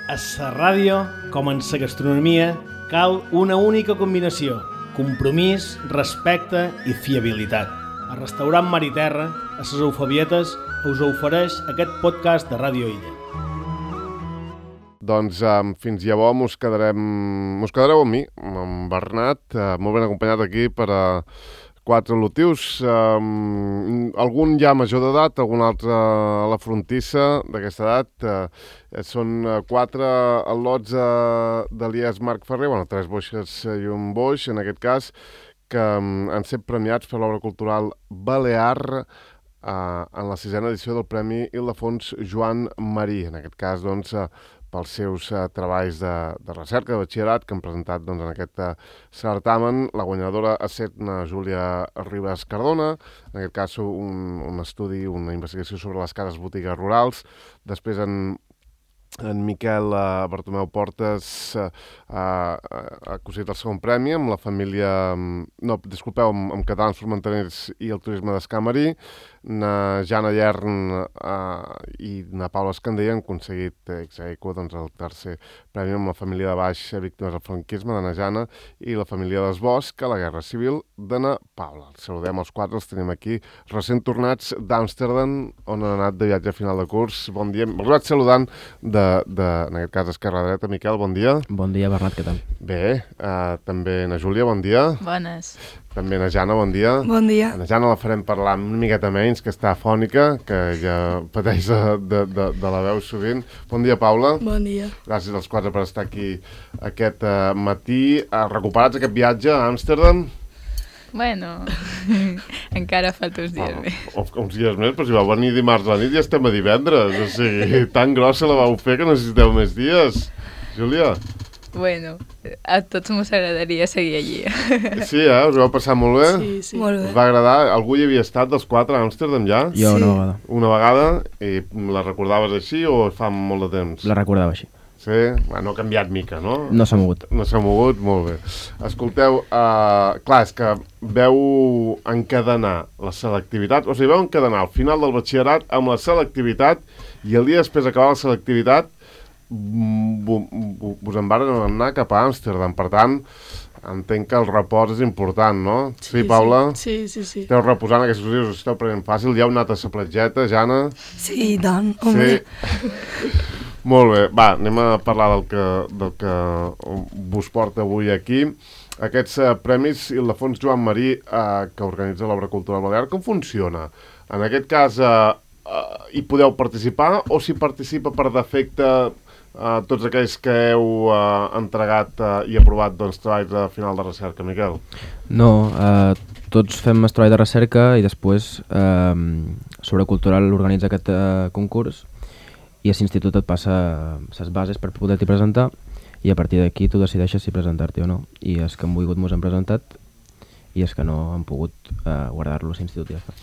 A la ràdio, com en la gastronomia, cal una única combinació: compromís, respecte i fiabilitat. El restaurant Mar i Terra, a les Eufabietes, us ofereix aquest podcast de Ràdio Illa. Doncs fins llavors mos quedareu amb mi, amb Bernat, molt ben acompanyat aquí per a 4 lotius, algun ja major d'edat, algun altre a la frontissa d'aquesta edat. Són 4 al·lots d'Elies Marc Ferrer, 3 boixes i un boix, en aquest cas, que han set premiats per l'obra cultural Balear en la 6a edició del Premi Ildefons Joan Marí. En aquest cas, doncs, pels seus treballs de recerca, de batxillerat, que han presentat en aquest certamen. La guanyadora ha estat Júlia Ribas Cardona, en aquest cas un estudi, una investigació sobre les cases botigues rurals. Després en Miquel Bartomeu Portes ha aconseguit el segon premi amb la família... amb Catalans Formenterers i el turisme d'Escamarí. Na Jana Llern i na Paula Escandella han aconseguit ex aequo el tercer premi amb la família de Baix víctimes del franquisme de na Jana i la família d'Esbosc a la Guerra Civil de na Paula. Els saludem els 4, els tenim aquí recent tornats d'Amsterdam, on han anat de viatge a final de curs. Bon dia, els vaig saludant en aquest cas esquerra dreta. Miquel, bon dia. Bon dia, Bernat, què tal? Bé, també na Júlia, bon dia. Bones. També na Jana, bon dia. Bon dia. Na Jana la farem parlar una miqueta menys, que està afònica, que ja pateix de la veu sovint. Bon dia, Paula. Bon dia. Gràcies als 4 per estar aquí aquest matí. Recuperats aquest viatge a Amsterdam? Bueno, encara falta uns dies més. Uns dies més, però si vau venir dimarts a la nit ja estem a divendres. O sigui, tan grossa la vau fer que necessiteu més dies. Júlia? Bueno, a tots mos agradaria seguir allí. Sí, us vau passar molt bé? Sí. Molt bé. Us va agradar? Algú hi havia estat dels 4 a Amsterdam ja? Jo Sí. una vegada. Una vegada? I la recordaves així o fa molt de temps? La recordava així. Sí? No ha canviat mica, no? No s'ha mogut. No s'ha mogut? Molt bé. Escolteu, clar, és que veu encadenar la selectivitat, o sigui, veu encadenar al final del batxillerat amb la selectivitat i el dia després d'acabar la selectivitat us en varen anar cap a Amsterdam. Per tant, entenc que el repòs és important, no? Sí, Paula? Sí. Esteu reposant aquests dies, us esteu prenent fàcil. Ja heu anat a la platgeta, Jana? Sí, i tant, home. Sí. Molt bé, va, anem a parlar del que vos porta avui aquí. Aquests premis Ildefons Joan Marí que organitza l'Obra Cultural Balear, com funciona? En aquest cas, hi podeu participar o si participa per defecte tots aquells que heu entregat i aprovat treballs de final de recerca, Miquel? No, tots fem treball de recerca i després Sobre Cultural organitza aquest concurs i a l'institut et passa les bases per poder-t'hi presentar i a partir d'aquí tu decideixes si presentar-t'hi o no. I els que han volgut mos han presentat i els que no han pogut guardar-lo a l'institut i ja està.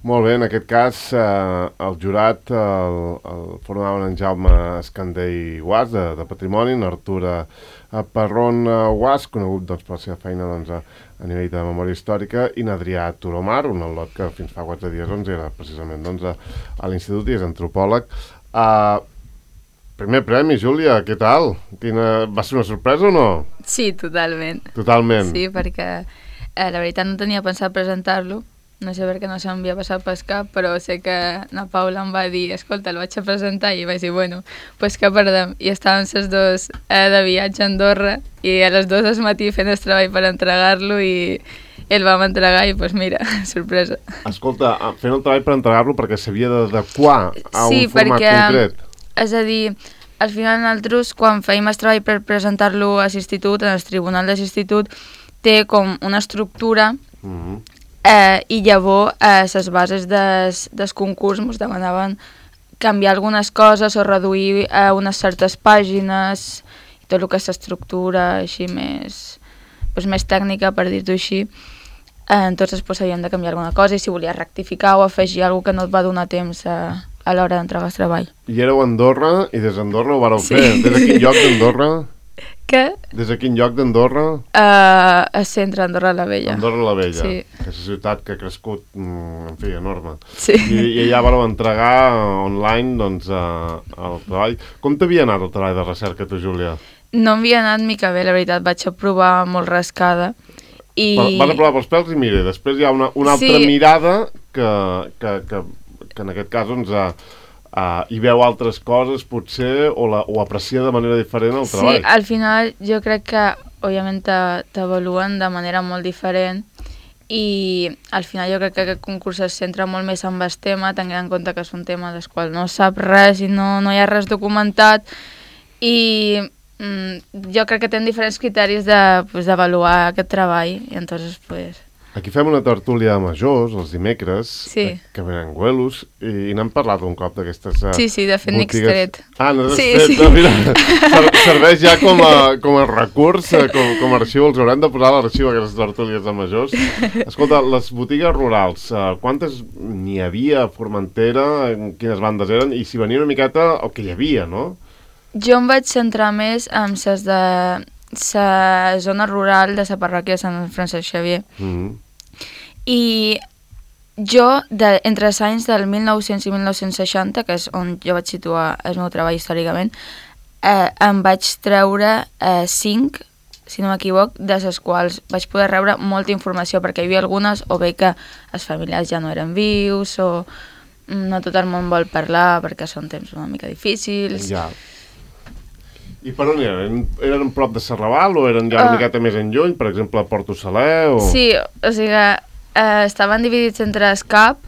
Molt bé, en aquest cas el jurat el formaven en Jaume Escandell Guas de Patrimoni, en Artur Parrón Guas, conegut per la seva feina a nivell de memòria històrica, i en Adrià Turomar, un al·lot que fins fa 4 dies era precisament a l'institut i és antropòleg. Primer premi, Júlia, què tal? Va ser una sorpresa o no? Sí, totalment. Totalment? Sí, perquè la veritat no tenia pensat presentar-lo, no sé per què no se'm havia passat pel cap, però sé que na Paula em va dir, escolta, el vaig a presentar, i vaig dir, bueno, pues què perdem? I estàvem les dues de viatge a Andorra i a les 2 del matí fent el treball per entregar-lo i el vam entregar i, pues mira, sorpresa. Escolta, fent el treball per entregar-lo perquè s'havia d'adequar a un format concret. És a dir, al final nosaltres, quan fèiem el treball per presentar-lo a l'institut, en el tribunal de l'institut, té com una estructura i llavors les bases del concurs ens demanaven canviar algunes coses o reduir unes certes pàgines i tot el que és l'estructura així més tècnica, per dir-ho així. Entonces havíem de canviar alguna cosa i si volies rectificar o afegir alguna que no et va donar temps a l'hora d'entregar el treball. I éreu a Andorra i des d'Andorra ho vareu fer. Des de quin lloc d'Andorra? Què? Des de quin lloc d'Andorra? A centre, Andorra la Vella. Andorra la Vella, sí. Aquesta ciutat que ha crescut, en fi, enorme. Sí. I allà vareu entregar online doncs, el treball. Com t'havia anat el treball de recerca, tu, Júlia? No m'havia anat mica bé, la veritat, vaig aprovar molt rascada. Vas aprovar pels pèls i mira, després hi ha una altra mirada que en aquest cas doncs, hi veu altres coses potser o aprecia de manera diferent el treball. Sí, al final jo crec que òbviament t'avaluen de manera molt diferent i al final jo crec que aquest concurs es centra molt més en el tema, tenint en compte que és un tema del qual no sap res i no hi ha res documentat i jo crec que tenen diferents criteris d'avaluar aquest treball i entonces pues... Aquí fem una tertúlia de majors els dimecres, que venen Güelos, i n'hem parlat un cop d'aquestes Sí, de fet n'he extret. N'has extret, mira, serveix ja com a recurs, com a arxiu, els haurem de posar a l'arxiu aquestes tertúlies de majors. Escolta, les botigues rurals, quantes n'hi havia a Formentera, quines bandes eren, i si venia una miqueta el que hi havia, no? Jo em vaig centrar més en les de la zona rural de la parròquia de Sant Francesc Xavier. I jo, entre els anys del 1900 i 1960, que és on jo vaig situar el meu treball històricament, em vaig treure 5, si no m'equivoc, de les quals vaig poder rebre molta informació, perquè hi havia algunes o bé que els familiars ja no eren vius o no tot el món vol parlar perquè són temps una mica difícils. Ja. I per on eren? Eren prop de Serraval o eren ja una miqueta més enlluny, per exemple a Porto Saler? O... Sí, o sigui, estaven dividits entre Escap,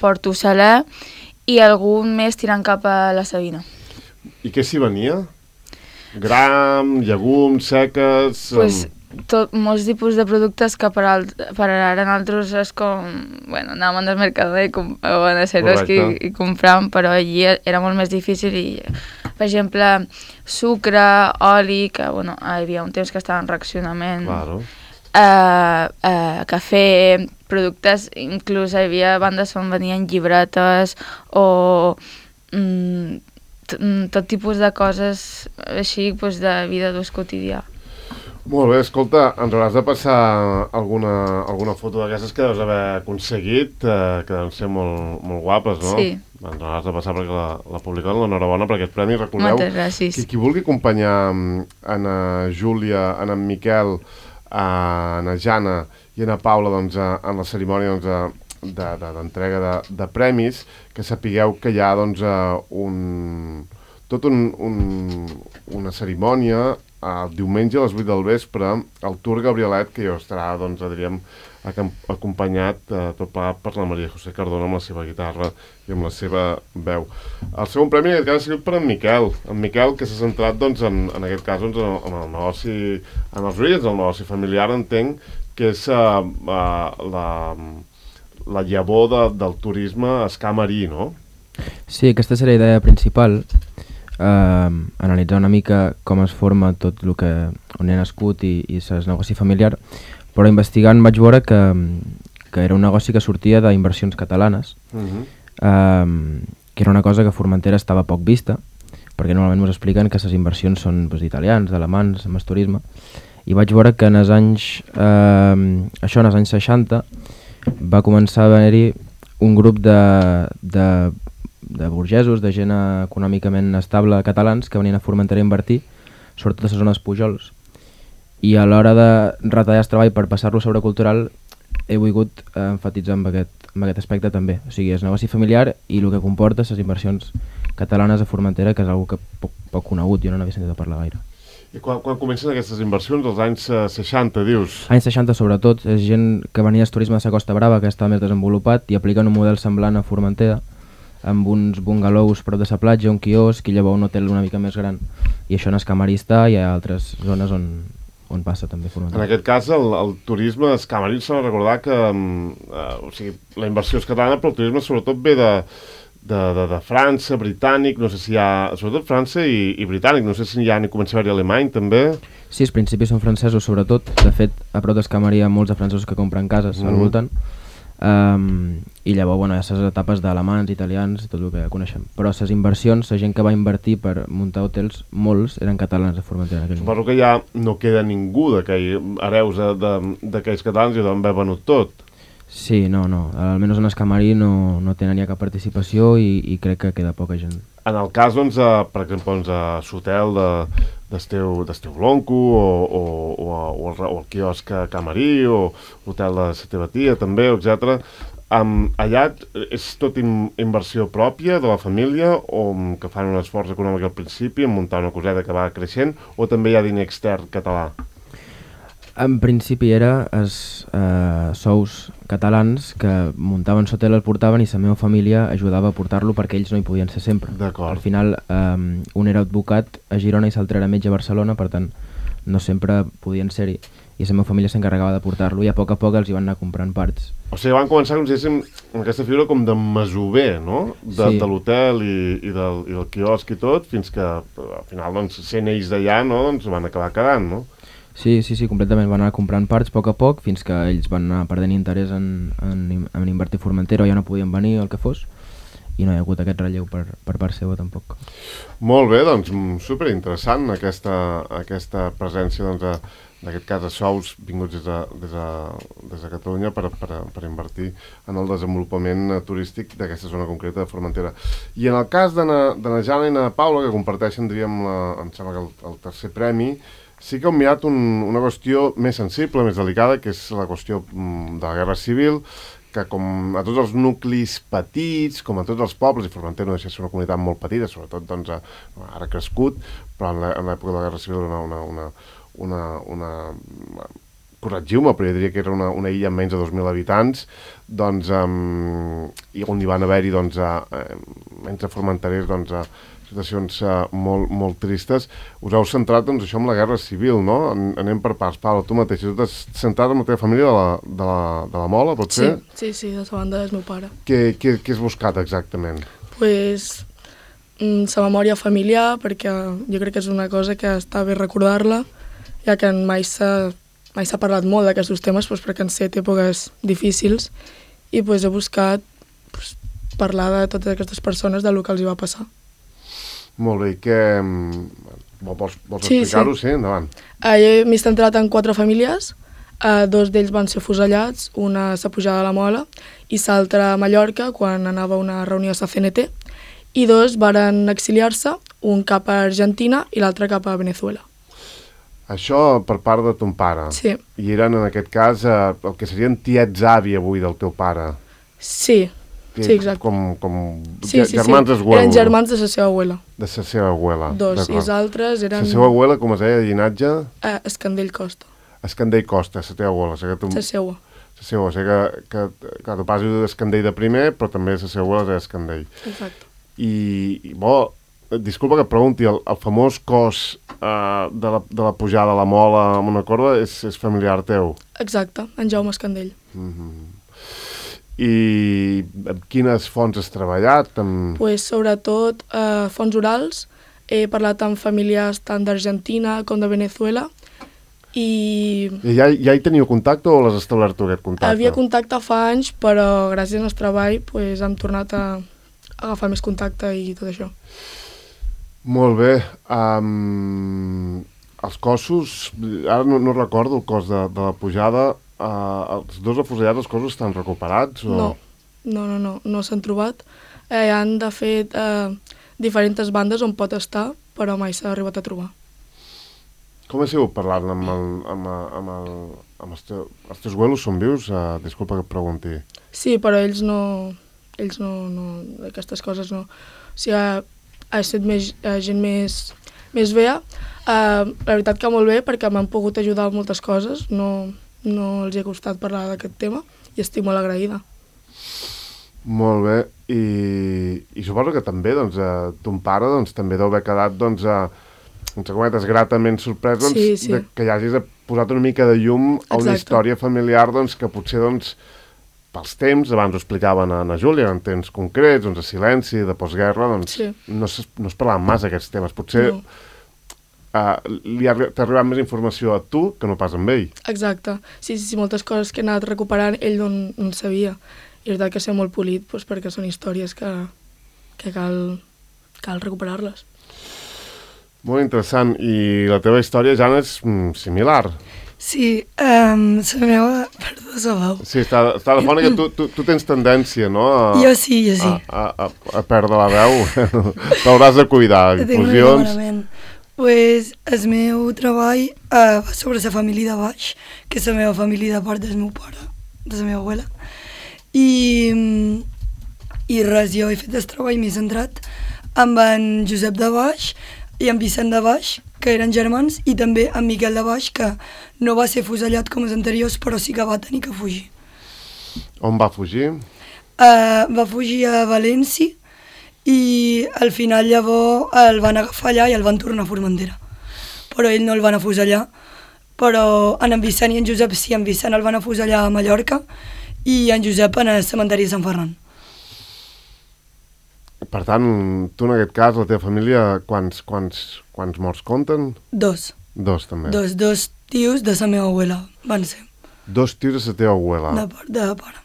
Porto Saler i algun més tirant cap a la Sabina. I què s'hi venia? Gram, llegums, seques... Pues, molts tipus de productes que per ara nosaltres és com... Bueno, anàvem al Mercadona o a Ceros i compràvem, però allí era molt més difícil i... Per exemple, sucre, oli, que bueno, hi havia un temps que estava en reaccionament, claro. Cafè, productes, inclús hi havia bandes on venien llibretes o tot tipus de coses així pues, de vida d'ús quotidià. Molt bé, escolta, ens hauràs de passar alguna foto d'aquestes que deus haver aconseguit, que deuen ser molt guapes, no? Sí. Ens hauràs de passar perquè la publicaran, l'enhorabona per aquest premi. Recordeu qui vulgui acompanyar en Júlia, en Miquel, en Jana i en Paula doncs, en la cerimònia d'entrega de premis, que sapigueu que hi ha doncs, una cerimònia el diumenge a les 8 del vespre al Tour Gabrielet, que jo estarà, doncs, diríem, acompanyat tot plegat per la Maria José Cardona amb la seva guitarra i amb la seva veu. El segon premi en aquest cas ha sigut per en Miquel, que s'ha centrat, doncs, en aquest cas, doncs, en el negoci, en els orígens del negoci familiar, entenc, que és la llavor del turisme escamarí, no? Sí, aquesta seria la idea principal, analitzar una mica com es forma tot el que on he nascut i el negoci familiar, però investigant vaig veure que era un negoci que sortia d'inversions catalanes, que era una cosa que a Formentera estava poc vista, perquè normalment ens expliquen que les inversions són d'italians, d'alemans, amb el turisme, i vaig veure que en els anys 60 va començar a haver-hi un grup de burgesos, de gent econòmicament estable catalans que venien a Formentera a invertir, sobretot a les zones Pujols. I a l'hora de retallar el treball per passar-lo sobre cultural he volgut enfatitzar amb aquest aspecte també. O sigui, és negoci familiar i el que comporta les inversions catalanes a Formentera, que és una cosa poc conegut, jo no n'havia sentit a parlar gaire. I quan comencen aquestes inversions, als anys 60, dius? Anys 60 sobretot, és gent que venia del turisme de la Costa Brava, que està més desenvolupat, i apliquen un model semblant a Formentera, amb uns bungalows prop de la platja, un quiosc i llavors un hotel una mica més gran. I això en Escamarí està i hi ha altres zones on passa també Formentera. En aquest cas, el turisme escamarí s'ha de recordar que la inversió és catalana, però el turisme sobretot ve de França, britànic, no sé si hi ha... Sobretot França i britànic, no sé si hi ha ni comença a haver-hi alemany també. Sí, els principis són francesos sobretot. De fet, a prop d'Escamarí hi ha molts de francesos que compren cases al voltant. I llavors, bueno, hi ha les etapes d'alemans, italians, tot el que coneixem. Però les inversions, la gent que va invertir per muntar hotels, molts eren catalans de Formentera. Suposo que ja no queda ningú d'aquells hereus d'aquells catalans i d'on va venut tot. Sí, no, almenys en el camarí no tenen ja cap participació i crec que queda poca gent. En el cas, doncs, per exemple, l'hotel del teu lonco o el quiosc camarí o l'hotel de la teva tia també, etc. Allà és tot inversió pròpia de la família o que fan un esforç econòmic al principi en muntar una coseta que va creixent o també hi ha diner extern català? En principi era els sous catalans que muntaven l'hotel, el portaven i la meva família ajudava a portar-lo perquè ells no hi podien ser sempre. Al final un era advocat a Girona i l'altre era metge a Barcelona, per tant no sempre podien ser-hi i la meva família s'encarregava de portar-lo i a poc els hi van anar comprant parts. O sigui, van començar com si diguéssim amb aquesta figura com de masover, no? De l'hotel i del quiosc i tot, fins que al final, doncs, sent ells d'allà, no? Doncs van acabar quedant, no? Sí, completament. Van anar comprant parts a poc fins que ells van anar perdent interès en invertir a Formentera o ja no podien venir o el que fos i no hi ha hagut aquest relleu per part seva tampoc. Molt bé, doncs superinteressant aquesta presència, doncs, en aquest cas, de sous vinguts des de Catalunya per invertir en el desenvolupament turístic d'aquesta zona concreta de Formentera. I en el cas de na Jana i na Paula, que comparteixen, diríem, em sembla que el tercer premi, sí que heu mirat una qüestió més sensible, més delicada, que és la qüestió de la Guerra Civil, que com a tots els nuclis petits, com a tots els pobles, i Formentera no deixa de ser una comunitat molt petita, sobretot doncs, ara crescut, però en l'època de la Guerra Civil corregiu-me, però jo diria que era una illa amb menys de 2.000 habitants, doncs, i on hi van haver-hi, doncs, entre formenterers, doncs, situacions molt tristes. Us heu centrat, doncs, això amb la Guerra Civil, no? Anem per parts. Paula, tu mateix, tu t'has centrat amb la teva família de la Mola, pot ser? Sí, de la banda del meu pare. Què has buscat exactament? Pues la memòria familiar, perquè jo crec que és una cosa que està bé recordar-la, ja que mai s'ha parlat molt d'aquests temes, doncs, perquè han estat èpoques difícils, i pues, he buscat parlar de totes aquestes persones del que els hi va passar. Molt bé, i què... Vols explicar-ho? Sí, endavant. Jo m'he centrat en 4 famílies, 2 d'ells van ser fusellats, una a la pujada de la Mola i l'altra a Mallorca, quan anava a una reunió a la CNT, i 2 varen exiliar-se, un cap a Argentina i l'altre cap a Venezuela. Això per part de ton pare? Sí. I eren, en aquest cas, el que serien tiets-avi avui del teu pare? Sí. Sí, exacte. Germans d'esguelo. Eren germans de la seva abuela. De la seva abuela. 2, i els altres eren... La seva abuela, com es deia, de llinatge? Escandell Costa. Escandell Costa, la teva abuela. La seua. La seua, o sigui que tu pas diu d'Escandell de primer, però també la seva abuela és Escandell. Exacte. I disculpa que et pregunti, el famós cos de la pujada a la Mola amb una corda és familiar teu? Exacte, en Jaume Escandell. I amb quines fonts has treballat? Pues, sobretot fonts orals. He parlat amb familiars tant d'Argentina com de Venezuela. I ja hi teniu contacte o l'has establert tu, aquest contacte? Havia contacte fa anys, però gràcies al nostre treball pues, hem tornat a agafar més contacte i tot això. Molt bé. Els cossos, ara no recordo el cos de la pujada, els 2 afusellats, els cossos estan recuperats? O... No s'han trobat. Hi han, de fet, diferents bandes on pot estar, però mai s'ha arribat a trobar. Com ha sigut parlant amb els teus abuelos? Són vius? Disculpa que et pregunti. Sí, però ells no, aquestes coses no. O sigui, ha estat gent més vea. La veritat que molt bé, perquè m'han pogut ajudar en moltes coses. No els ha costat parlar d'aquest tema i estic molt agraïda. Molt bé. I suposo que també doncs, ton pare doncs, també deu haver quedat doncs, gratament sorprès doncs, sí. Que hi hagis posat una mica de llum a una història familiar doncs, que potser doncs, pels temps, abans ho explicaven a Júlia, en temps concrets, doncs, de silenci, de postguerra, doncs, sí. no es parlaven massa aquests temes. Potser t'ha arribat més informació a tu que no pas amb ell. Exacte. Sí, moltes coses que he anat recuperant ell no en sabia. I és veritat que ser molt polit perquè són històries que cal recuperar-les. Molt interessant. I la teva història, Jana, és similar. Sí, la meva... Perdó, sabeu. Sí, està de fora que tu tens tendència, no? Jo sí. A perdre la veu. T'hauràs de cuidar. Inclusions. Pues el meu treball va sobre la família de baix, que és la meva família de part del meu pare, de la meva abuela. I res, jo he fet el treball més centrat amb en Josep de Baix i en Vicent de Baix, que eren germans, i també en Miquel de Baix, que no va ser fusellat com els anteriors, però sí que va tenir que fugir. On va fugir? Va fugir a València i al final llavors el van agafar allà i el van tornar a Formentera. Però ell no el van afusellar, però en Vicent i en Josep sí, en Vicent el van afusellar a Mallorca i en Josep en el cementeri de Sant Ferran. Per tant, tu en aquest cas, la teva família, quants morts compten? Dos. Dos, també. Dos tios de la meva abuela van ser. Dos tios de la teva abuela? De pare.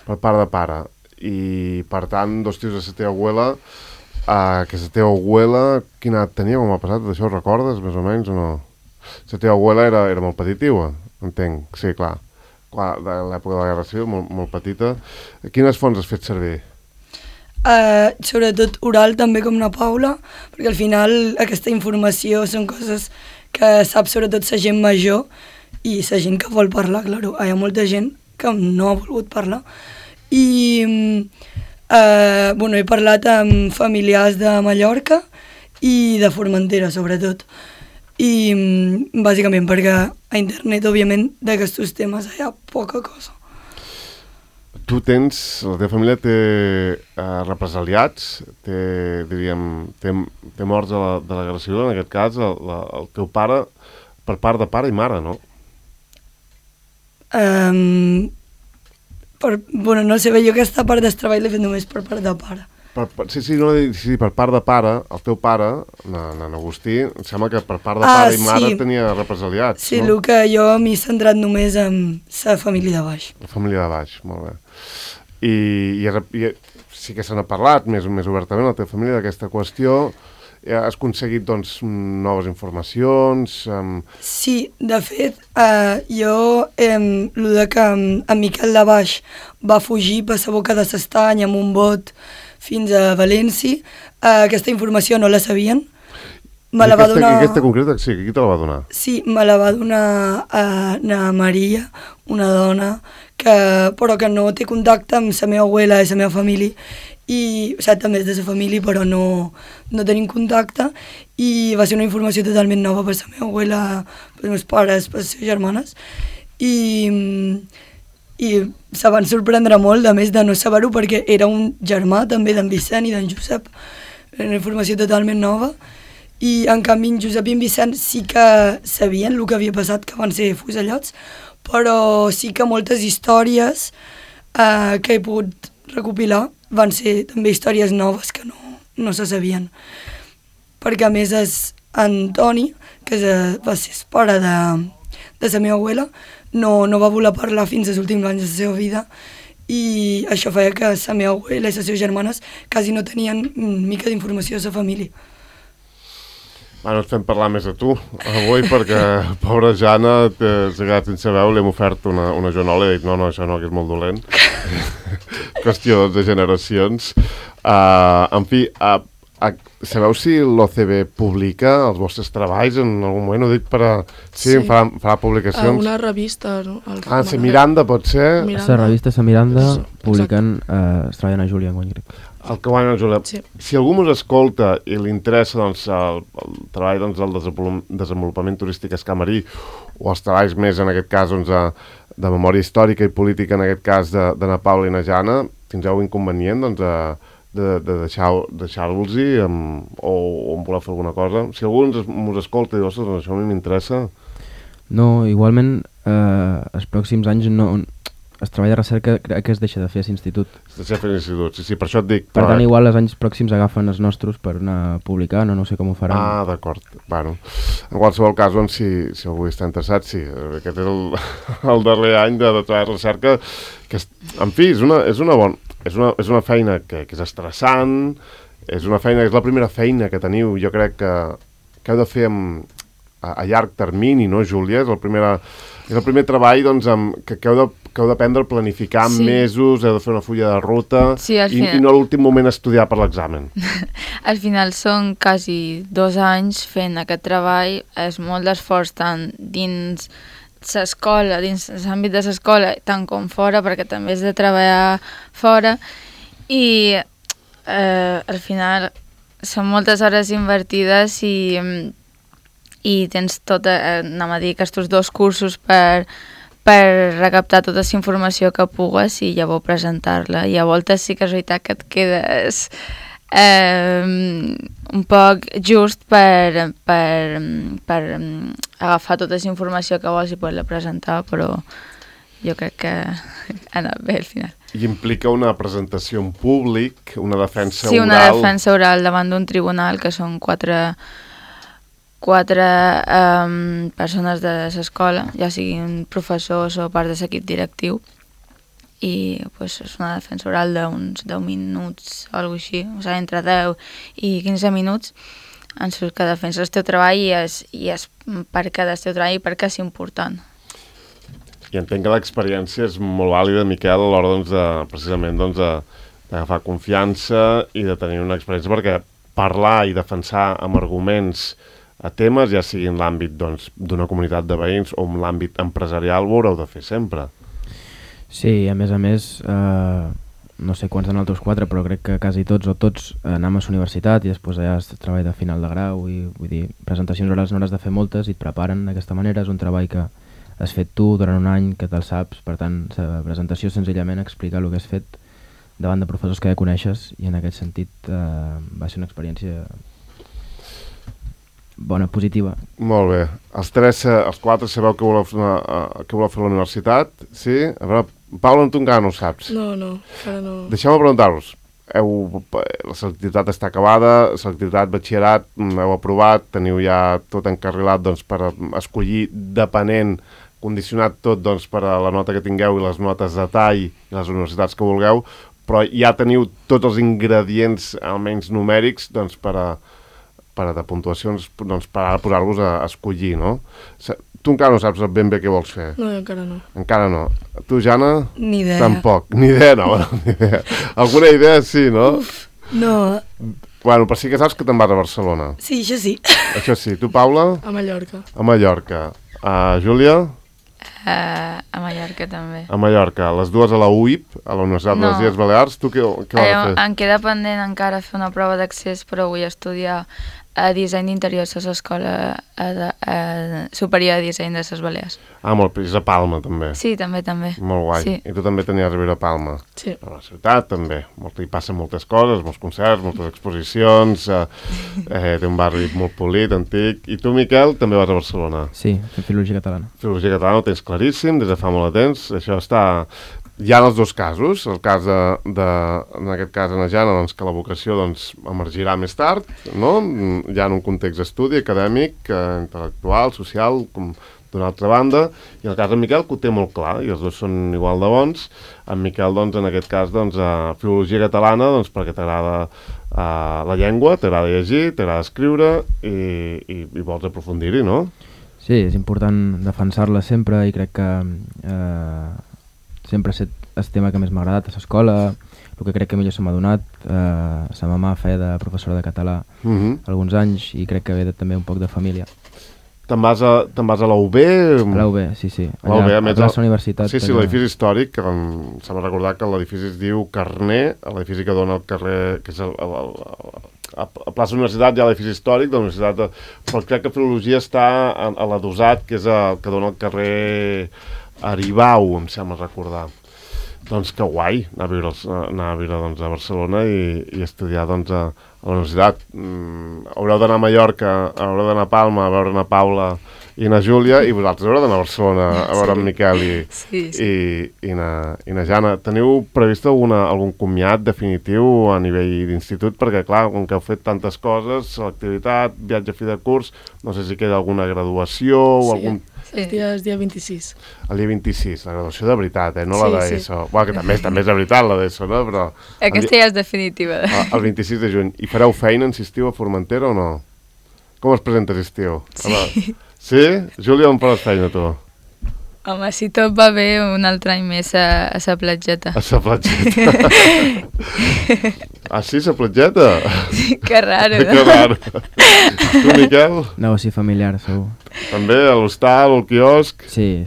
Per part de pare. I, per tant, dos tios de la teva abuela, que la teva abuela, quina edat tenia com ha passat? Això ho recordes, més o menys, o no? La teva abuela era molt petitiva, entenc. Sí, clar. De l'època de la Guerra Civil, molt petita. Quines fonts has fet servir? Sobretot oral, també com una Paula, perquè al final aquesta informació són coses que sap sobretot la gent major i la gent que vol parlar, clar. Hi ha molta gent que no ha volgut parlar. I he parlat amb familiars de Mallorca i de Formentera, sobretot. I bàsicament perquè a internet, òbviament, d'aquests temes hi ha poca cosa. Tu tens, la teva família té represaliats, té morts de la Guerra Civil, en aquest cas, el teu pare, per part de pare i mare, no? No sé, jo aquesta part del treball l'he fet només per part de pare. Sí, per part de pare, el teu pare, en Agustí, em sembla que per part de pare i mare tenia represaliats, sí, no? Sí, el que jo m'he centrat només en la família de baix. La família de baix, molt bé. I sí que se n'ha parlat més obertament, la teva família, d'aquesta qüestió. Has aconseguit, doncs, noves informacions? Sí, de fet, el de que en Miquel de Baix va fugir per la boca de l'estany amb un bot fins a València, aquesta informació no la sabien. Aquesta concreta, sí, qui te la va donar? Sí, me la va donar na Maria, una dona, però que no té contacte amb la meva abuela i la meva família, i també és de la família, però no tenim contacte, i va ser una informació totalment nova per la meva abuela, per els meus pares, per les seves germanes, i se van sorprendre molt, a més de no saber-ho, perquè era un germà també d'en Vicent i d'en Josep, era una informació totalment nova, i en canvi en Josep i en Vicent sí que sabien el que havia passat, que van ser fusellats, però sí que moltes històries que he pogut recopilar van ser també històries noves que no se sabien. Perquè a més Antoni, que va ser el pare de la meva abuela, no va voler parlar fins als últims anys de la seva vida, i això feia que la meva abuela i les seves germanes quasi no tenien mica d'informació de la família. Bueno, et fem parlar més a tu avui perquè, pobra Jana, s'ha quedat sense veu, li hem ofert una joanola i he dit no, això no, que és molt dolent. Qüestió de generacions. En fi, sabeu si l'OCB publica els vostres treballs en algun moment? Ho dic per a... Sí, farà publicacions. Una revista, no? La Miranda, pot ser? La revista La Miranda publiquen es treballen a Júlia en guany, crec. El que guanya Júlia. Sí. Si algú us escolta i li interessa doncs, el treball del desenvolupament turístic escamarí o els treballs més, en aquest cas, doncs, de memòria històrica i política, en aquest cas, de na Paula i na Jana, tindreu inconvenient doncs, de deixar-los-hi o voleu fer alguna cosa? Si algú us escolta i diu, ostres, això a mi m'interessa. No, igualment, els pròxims anys no... el treball de recerca crec que es deixa de fer a l'institut. Es deixa de fer a l'institut, sí, per això et dic. Per tant, igual els anys pròxims agafen els nostres per anar publicant, no sé com ho faran. Ah, d'acord. Bueno, en qualsevol cas, doncs, si algú està interessat, sí, aquest és el darrer any de treball de recerca, que, en fi, és una feina que és estressant, és la primera feina que teniu, jo crec que heu de fer a llarg termini, no, Júlia? És el primer treball doncs, que heu d'aprendre a planificar en mesos, heu de fer una fulla de ruta i no a l'últim moment estudiar per l'examen. Al final són quasi 2 anys fent aquest treball, és molt d'esforç tant dins l'escola, dins l'àmbit de l'escola, tant com fora, perquè també és de treballar fora, i al final són moltes hores invertides i tens anem a dir, aquests 2 cursos per recaptar tota la informació que pugues i llavors presentar-la. I a voltes sí que és veritat que et quedes un poc just per agafar tota la informació que vols i poder-la presentar, però jo crec que ha anat bé al final. I implica una presentació en públic, una defensa oral... Sí, una defensa oral davant d'un tribunal, que són 4 persones de l'escola, ja siguin professors o part de l'equip directiu, i pues, és una defensa oral d'uns 10 minuts o alguna cosa així, o sigui, entre 10 i 15 minuts, en què defenses el teu treball i és per què del teu treball i per què és important. I entenc que l'experiència és molt vàlida, Miquel, a l'hora precisament d'agafar confiança i de tenir una experiència, perquè parlar i defensar amb arguments a temes, ja sigui en l'àmbit d'una comunitat de veïns o en l'àmbit empresarial, ho haureu de fer sempre. Sí, a més, no sé quants de nosaltres 4, però crec que quasi tots anem a la universitat i després allà es treball de final de grau i vull dir, presentacions orals no has de fer moltes i et preparen d'aquesta manera, és un treball que has fet tu durant un any, que te'l saps, per tant, la presentació senzillament explicar el que has fet davant de professors que ja coneixes i en aquest sentit va ser una experiència bona, positiva. Molt bé. Els 4 sabeu que voleu fer a la universitat, sí? A veure, Paula, tu encara no ho saps. No, encara no. Deixeu-me preguntar-vos. La selectivitat està acabada, selectivitat, batxillerat, heu aprovat, teniu ja tot encarrilat per escollir, depenent, condicionat tot per a la nota que tingueu i les notes de tall i les universitats que vulgueu, però ja teniu tots els ingredients, almenys numèrics, per a de puntuacions, per ara posar-vos a escollir, no? Tu encara no saps ben bé què vols fer. No, encara no. Encara no. Tu, Jana? Ni idea. Tampoc. Ni idea, no. Ni idea. Alguna idea sí, no? Uf, no. Bueno, però sí que saps que te'n vas a Barcelona. Sí, això sí. Això sí. Tu, Paula? A Mallorca. A Mallorca. Júlia? A Mallorca també. A Mallorca. Les dues a la UIP, a la Universitat de les Illes Balears. Tu què vas a fer? Em queda pendent encara fer una prova d'accés, però vull estudiar disseny d'interiors a l'Escola Superior de Disseny de les Balears. Molt bé, és a Palma, també. Sí, també. Molt guai. Sí. I tu també tenies a viure a Palma. Sí. A la ciutat, també. Hi passen moltes coses, molts concerts, moltes exposicions, té un barri molt polit, antic. I tu, Miquel, també vas a Barcelona. Sí, fent filologia catalana. Filologia catalana ho tens claríssim, des de fa molt de temps. Això està... Hi ha els dos casos, el cas en aquest cas en la Jana, que la vocació emergirà més tard, no? Ja en un context d'estudi acadèmic, intel·lectual, social, com d'una altra banda, i en el cas d'en Miquel, que ho té molt clar, i els dos són igual de bons. En Miquel, en aquest cas, filologia catalana, perquè t'agrada la llengua, t'agrada llegir, t'agrada escriure, i vols aprofundir-hi, no? Sí, és important defensar-la sempre, i crec que sempre ha estat el tema que més m'ha agradat a l'escola, el que crec que millor se m'ha donat. Sa mamà feia de professora de català alguns anys i crec que ve també un poc de família. Te'n vas a la UB? A la UB, sí. Allà, a la universitat. Sí, l'edifici històric, que s'ha de recordar que l'edifici es diu Carner, l'edifici que dona al carrer, que és a plaça Universitat hi ha l'edifici històric de la Universitat, però crec que Filologia està a l'Adossat, que és el que dona al carrer Aribau, em sembla recordar. Doncs que guai, anar a viure a Barcelona i estudiar a la universitat. Haureu d'anar a Mallorca, haureu d'anar a Palma, a veure na Paula i na Júlia, i vosaltres haureu d'anar a Barcelona a veure en Miquel i na Jana. Teniu previst algun comiat definitiu a nivell d'institut? Perquè, clar, com que heu fet tantes coses, l'activitat, viatge a fi de curs, no sé si queda alguna graduació o algun... El dia 26. El dia 26, la graduació de veritat, no la d'ESO. Bueno, que també és de veritat la d'ESO, no? Però aquesta ja és definitiva. El 26 de juny. I fareu feina en estiu a Formentera o no? Com es presenta estiu? Sí. Sí? Júlia, on faràs feina, tu? Home, si tot va bé, un altre any més a sa platgeta. A sa platgeta. Ah, sí, sa platgeta? Sí, que raro, no? Que raro. Tu, Miquel? Negoci familiar, segur. També, a l'hostal, al quiosc? Sí.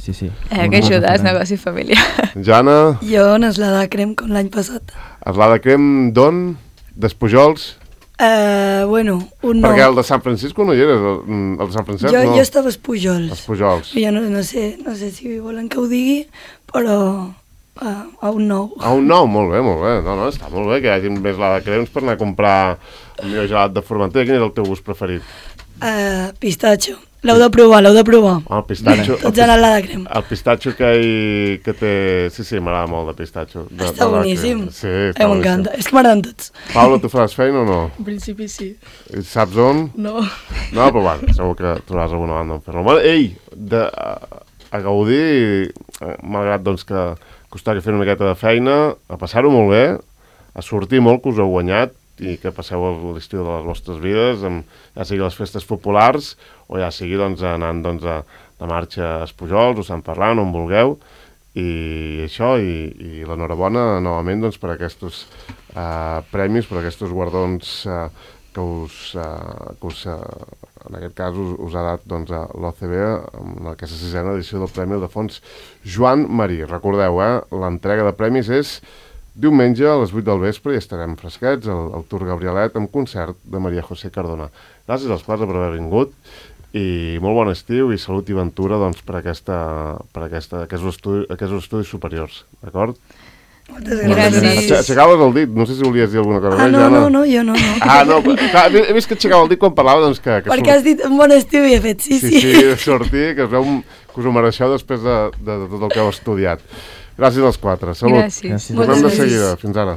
Que ajudes, negoci familiar. Jana? Jo en Eslada Crem, com l'any passat. Eslada Crem, d'on? D'Espujols? Bueno, un Perquè nou. el de Sant Francisco no hi eres, el de Sant Francesc no? Jo estava a Espujols. Espujols. Jo no sé si volen que ho digui, però a un nou. A un nou, molt bé. No, està molt bé que hi hagi més la de crems per anar a comprar el millor gelat de Formentera. Quin és el teu gust preferit? Pistatxo. L'heu de provar. El pistatxo. Tots han anat de crem. El pistatxo que té... Sí, m'agrada molt de pistatxo. Està boníssim. Sí, està boníssim. M'encanta. És que m'agraden tots. Paula, tu faràs feina o no? En principi sí. I saps on? No. No, però bueno, segur que trobaràs alguna banda on fer-lo. Bueno, a gaudir, malgrat doncs que costarà fer una miqueta de feina, a passar-ho molt bé, a sortir molt, que us heu guanyat, i que passeu l'estiu de les vostres vides, ja sigui les festes populars o ja sigui anant de marxa a Espujols o Sant Ferran, on vulgueu, i això, i l'enhorabona novament per aquests premis, per aquests guardons que en aquest cas us ha dat l'OCB en aquesta sisena edició del Premi Ildefons Joan Marí. Recordeu, l'entrega de premis és diumenge a les 8 del vespre i estarem fresquets al Tour Gabrielet amb concert de Maria José Cardona. Gràcies als quatre per haver vingut i molt bon estiu i salut i ventura per aquests estudis superiors, d'acord? Moltes gràcies. Aixecaves el dit, no sé si volies dir alguna cosa més, Jana. No, jo no. Ah, no, clar, he vist que aixecava el dit quan parlava, que perquè has dit un bon estiu i he fet sí. Sí, de sortir, que es veu que us ho mereixeu després de tot el que heu estudiat. Gràcies als quatre. Salut. Gràcies. Tornem de seguida. Fins ara.